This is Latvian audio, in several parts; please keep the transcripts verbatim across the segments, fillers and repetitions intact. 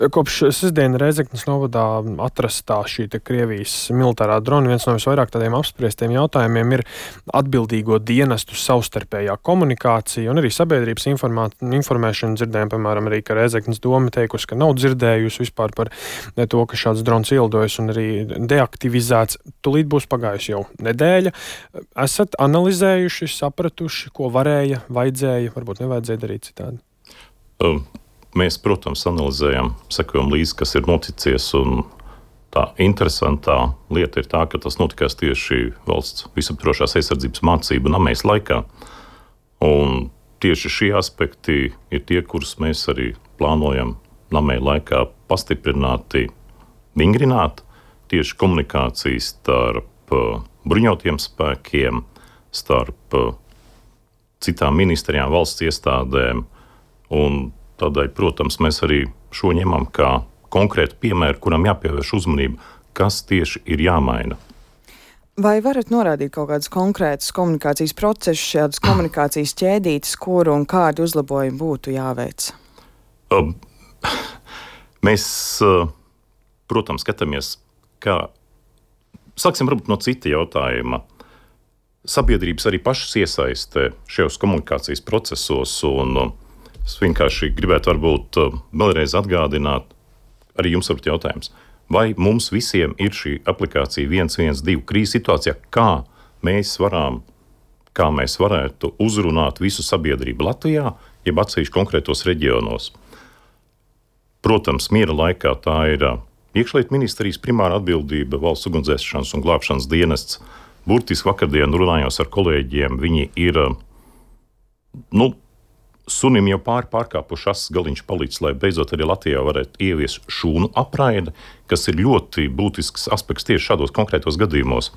Kopš sestdien Rēzeknes novadā atrastā šī Krievijas militārā drona viens no visvairāk tādiem apspriestiem jautājumiem ir atbildīgo dienestu savstarpējā komunikācija un arī sabiedrības informā, informēšana. Dzirdējām, piemēram, arī, ka Rēzeknes doma teikusi, ka nav dzirdējusi vispār par to, ka šāds drons ielidojas un arī deaktivizēts. Tūlīt būs pagājusi jau nedēļa. Esat analizējuši, sapratuši, ko varēja, vajadzēja, varbūt nevajadzēja darīt citādi? Um. Mēs, protams, analizējam, sekojam līdzi, kas ir noticies, un tā interesantā lieta ir tā, ka tas notikās tieši valsts visaptvarošās aizsardzības mācību namēs laikā. Un tieši šie aspekti ir tie, kurus mēs arī plānojam namē laikā pastiprināti vingrināt, tieši komunikācijas starp bruņotiem spēkiem, starp citām ministrijām, valsts iestādēm, un tādēļ, protams, mēs arī šo ņemam kā konkrētu piemēru, kuram jāpievērš uzmanība, kas tieši ir jāmaina. Vai varat norādīt kaut kādus konkrētus komunikācijas procesus, šādas komunikācijas ķēdītes, kuru un kādi uzlabojumi būtu jāveic? Uh, mēs, uh, protams, skatāmies, kā... Sāksim varbūt no cita jautājuma. Sabiedrības arī pašas iesaistē šajos komunikācijas procesos, un uh, es vienkārši gribētu varbūt uh, vēlreiz atgādināt, arī jums varbūt jautājums, vai mums visiem ir šī aplikācija viens viens divi krīzes situācijā, kā mēs varam, kā mēs varētu uzrunāt visu sabiedrību Latvijā, jeb atsevišķi konkrētos reģionos. Protams, miera laikā tā ir uh, iekšlietu ministrijas primāra atbildība, valsts ugunsdzēsšanas un glābšanas dienests. Burtiski vakardien runājos ar kolēģiem, viņi ir, uh, nu, sunim jau pāri pārkāpuši asas galiņš palīdz, lai beidzot arī Latvijā varētu ieviest šūnu apraidi, kas ir ļoti būtisks aspekts tieši šādos konkrētos gadījumos,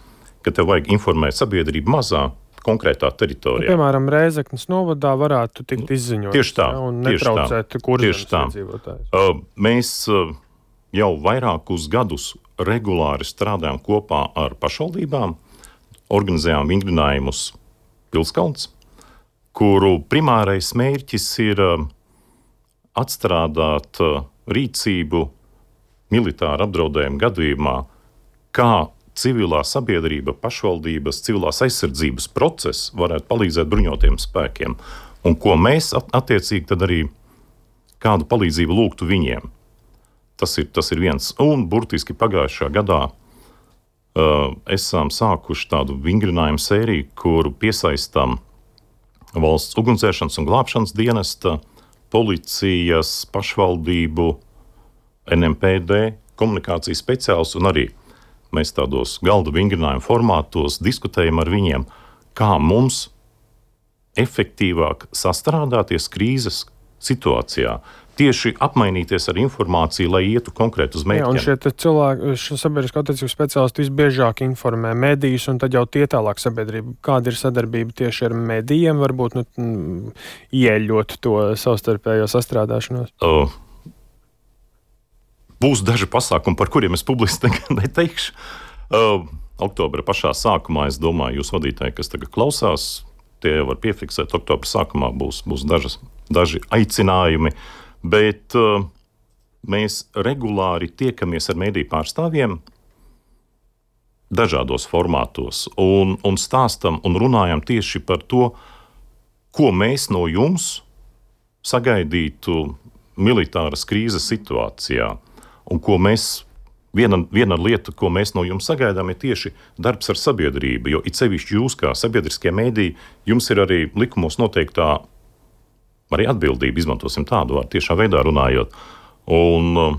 ka tev vajag informēt sabiedrību mazā, konkrētā teritorijā. Nu, piemēram, Rēzeknes novadā varētu tikt izziņot. Tieši tā. Ja, un tieši netraucēt kurzemes iedzīvotājus. Uh, mēs uh, jau vairākus gadus regulāri strādājam kopā ar pašvaldībām, organizējām vingrinājumus Pilskalns, kuru primārais mērķis ir uh, atstrādāt uh, rīcību militāra apdraudējuma gadījumā, kā civilā sabiedrība, pašvaldības, civilās aizsardzības process varētu palīdzēt bruņotiem spēkiem, un ko mēs at- attiecīgi tad arī kādu palīdzību lūgtu viņiem. Tas ir, tas ir viens. Un burtiski pagājušā gadā uh, esam sākuši tādu vingrinājumu sēriju, kuru piesaistām valsts ugunsdzēsšanas un glābšanas dienesta, policijas, pašvaldību, N M P D, komunikācijas speciālists, un arī mēs tādos galda vingrinājumu formātos diskutējam ar viņiem, kā mums efektīvāk sastrādāties krīzes situācijā, tieši apmainīties ar informāciju, lai ietu konkrēt uz mērķiem. Jā, un šie cilvēki, šie sabiedrisko attiecību speciālisti visbiežāk informē medijus, un tad jau tie tālāk sabiedrība. Kāda ir sadarbība tieši ar medijiem, varbūt nu, ieļot to savstarpējo sastrādāšanos? Uh, būs daži pasākumi, par kuriem es publiski neteikšu. Uh, oktobra pašā sākumā, es domāju, jūs vadītāji, kas tagad klausās, tie var piefiksēt, oktobra sākumā būs, būs dažas, daži aicinājumi. Bet uh, mēs regulāri tiekamies ar mediju pārstāvjiem dažādos formātos un, un stāstam un runājam tieši par to, ko mēs no jums sagaidītu militāras krīzes situācijā. Un ko mēs, viena, viena lieta, ko mēs no jums sagaidām, ir tieši darbs ar sabiedrību, jo it sevišķi jūs kā sabiedriskie mediji, jums ir arī likumos noteiktā arī atbildība, izmantosim tādu vārdu, tiešā veidā runājot. Un uh,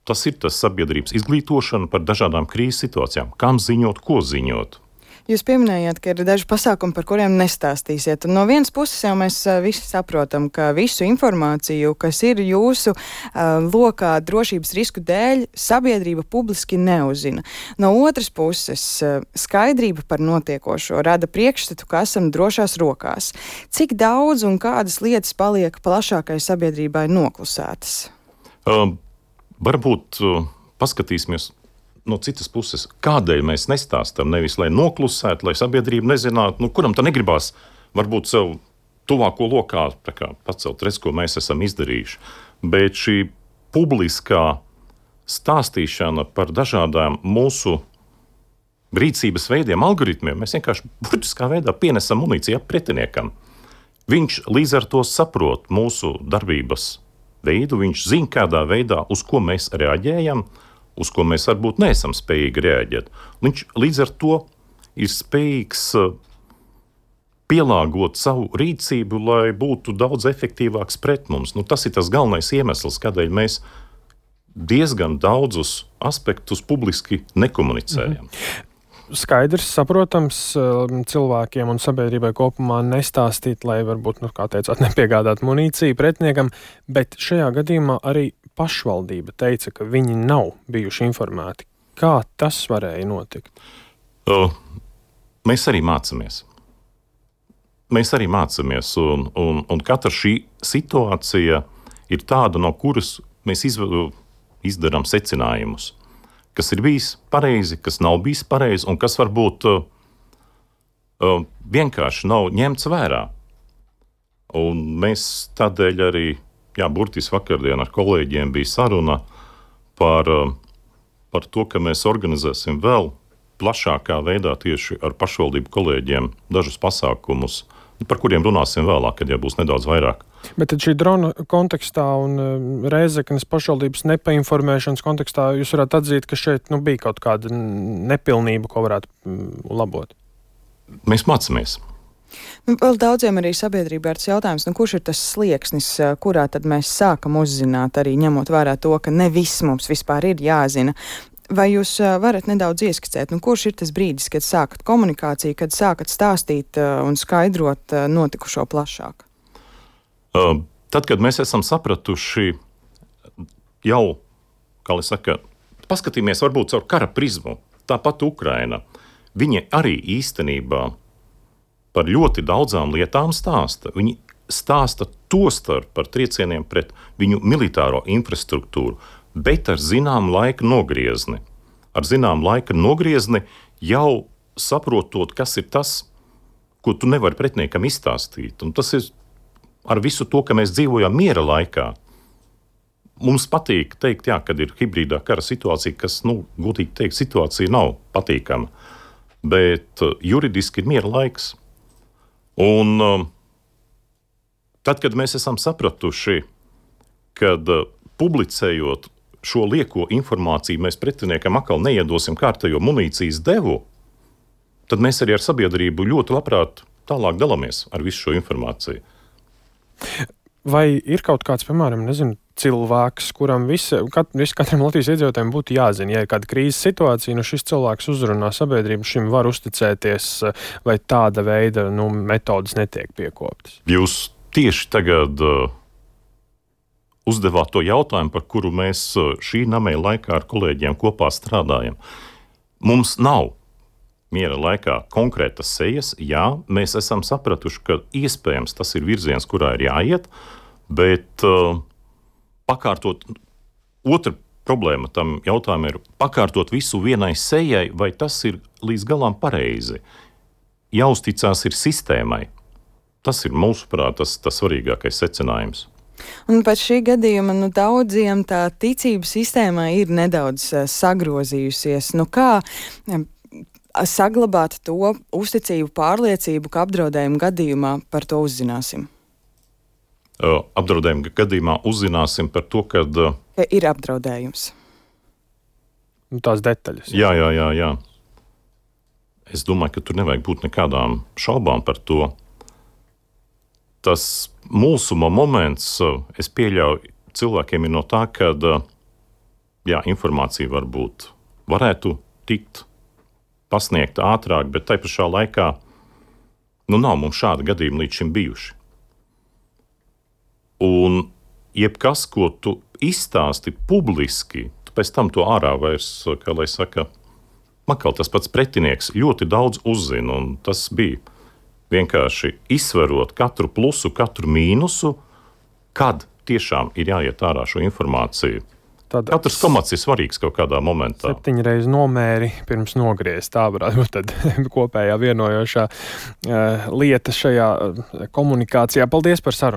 tas ir tas sabiedrības izglītošana par dažādām krīzes situācijām. Kam ziņot, ko ziņot? Jūs pieminējāt, ka ir daži pasākumi, par kuriem nestāstīsiet. Un no vienas puses jau mēs uh, visi saprotam, ka visu informāciju, kas ir jūsu uh, lokā drošības risku dēļ, sabiedrība publiski neuzzina. No otras puses, uh, skaidrība par notiekošo rada priekšstatu, ka esam drošās rokās. Cik daudz un kādas lietas paliek plašākai sabiedrībai noklusētas? Uh, varbūt uh, paskatīsimies no citas puses, kādēļ mēs nestāstam, nevis lai noklusētu, lai sabiedrība nezinātu, nu, kuram tā negribās varbūt sev tuvāko lokā tā kā pacelt redz, ko mēs esam izdarījuši. Bet šī publiskā stāstīšana par dažādām mūsu rīcības veidiem, algoritmiem. Mēs vienkārši burtiskā veidā pienesam munīciju pretiniekam. Viņš līdz ar to saprot mūsu darbības veidu, viņš zina, kādā veidā, uz ko mēs reaģējam, uz ko mēs varbūt neesam spējīgi reaģēt. Viņš līdz ar to ir spējīgs pielāgot savu rīcību, lai būtu daudz efektīvāks pret mums. Nu, tas ir tas galvenais iemesls, kādēļ mēs diezgan daudzus aspektus publiski nekomunicējam. Mhm. Skaidrs, saprotams, cilvēkiem un sabiedrībai kopumā nestāstīt, lai varbūt, nu, kā teicāt, nepiegādāt munīciju pretiniekam, bet šajā gadījumā arī pašvaldība teica, ka viņi nav bijuši informēti. Kā tas varēja notikt? Uh, mēs arī mācāmies. Mēs arī mācāmies, un, un, un katra šī situācija ir tāda, no kuras mēs izv- izdarām secinājumus. Kas ir bijis pareizi, kas nav bijis pareizi, un kas varbūt uh, uh, vienkārši nav ņemts vērā. Un mēs tādēļ arī, jā, burtiski vakardien ar kolēģiem bija saruna par, uh, par to, ka mēs organizēsim vēl plašākā veidā tieši ar pašvaldību kolēģiem dažus pasākumus, par kuriem runāsim vēlāk, kad jau būs nedaudz vairāk. Bet tad šī drona kontekstā un Rēzeknes pašvaldības nepainformēšanas kontekstā jūs varētu atzīt, ka šeit nu, bija kaut kāda nepilnība, ko varētu labot? Mēs mācāmies. Nu, vēl daudziem arī sabiedrībā ir tas jautājums, nu, kurš ir tas slieksnis, kurā tad mēs sākam uzzināt, arī ņemot vērā to, ka ne viss mums vispār ir jāzina. Vai jūs varat nedaudz ieskicēt, nu, kurš ir tas brīdis, kad sākat komunikāciju, kad sākat stāstīt un skaidrot notikušo plašāk? Uh, tad, kad mēs esam sapratuši jau, kā lai saka, paskatīmies varbūt caur kara prizmu, tāpat Ukraina, viņi arī īstenībā par ļoti daudzām lietām stāsta. Viņi stāsta tostarp par triecieniem pret viņu militāro infrastruktūru, bet ar zinām laika nogriezni. Ar zinām laika nogriezni jau saprotot, kas ir tas, ko tu nevari pretiniekam izstāstīt. Un tas ir ar visu to, ka mēs dzīvojam miera laikā. Mums patīk teikt, jā, kad ir hibrīdā kara situācija, kas, nu, gudīgi teikt, situācija nav patīkama. Bet uh, juridiski ir miera laiks. Un uh, tad, kad mēs esam sapratuši, kad uh, publicējot šo lieko informāciju mēs pretiniekam atkal neiedosim kārtējo munīcijas devu, tad mēs arī ar sabiedrību ļoti labprāt tālāk dalāmies ar visu šo informāciju. Vai ir kaut kāds, piemēram, nezinu, cilvēks, kuram visi, kat, visi katram Latvijas iedzīvotājiem būtu jāzina, ja ir kāda krīzes situācija, nu šis cilvēks uzrunā sabiedrību, šim var uzticēties, vai tāda veida nu, metodas netiek piekoptas? Jūs tieši tagad uh, uzdevāt to jautājumu, par kuru mēs šī nameja laikā ar kolēģiem kopā strādājam. Mums nav miera laikā konkrētas sejas. Jā, mēs esam sapratuši, ka iespējams tas ir virziens, kurā ir jāiet, bet uh, pakārtot, otra problēma tam jautājumam ir pakārtot visu vienai sejai, vai tas ir līdz galam pareizi. Jāuzticās ir sistēmai. Tas ir mūsuprāt tas, tas svarīgākais secinājums. Un pēc šī gadījuma nu, daudziem tā ticība sistēmā ir nedaudz uh, sagrozījusies. Nu, kā uh, saglabāt to uzticību, pārliecību, ka apdraudējuma gadījumā par to uzzināsim? Uh, apdraudējuma gadījumā uzzināsim par to, kad, uh, ka ir apdraudējums. Nu, tās detaļas. Jā, jā, jā, jā. Es domāju, ka tur nevajag būt nekādām šaubām par to. Tas mūsuma moments, es pieļauju, cilvēkiem ir no tā, ka jā, informācija varbūt varētu tikt pasniegta ātrāk, bet tai pašā laikā nu, nav mums šāda gadījuma līdz šim bijuši. Un jebkas, ko tu izstāsti publiski, tu pēc tam to ārā vairs, kā lai saka, makal tas pats pretinieks ļoti daudz uzzina, un tas bija vienkārši izsverot katru plusu, katru mīnusu, kad tiešām ir jāiet ārā šo informāciju. Tad katrs komats ir svarīgs kaut kādā momentā. Septiņreiz nomēri pirms nogriezt. Tā varētu būt tad kopējā vienojošā uh, lieta šajā uh, komunikācijā. Paldies par sarunu!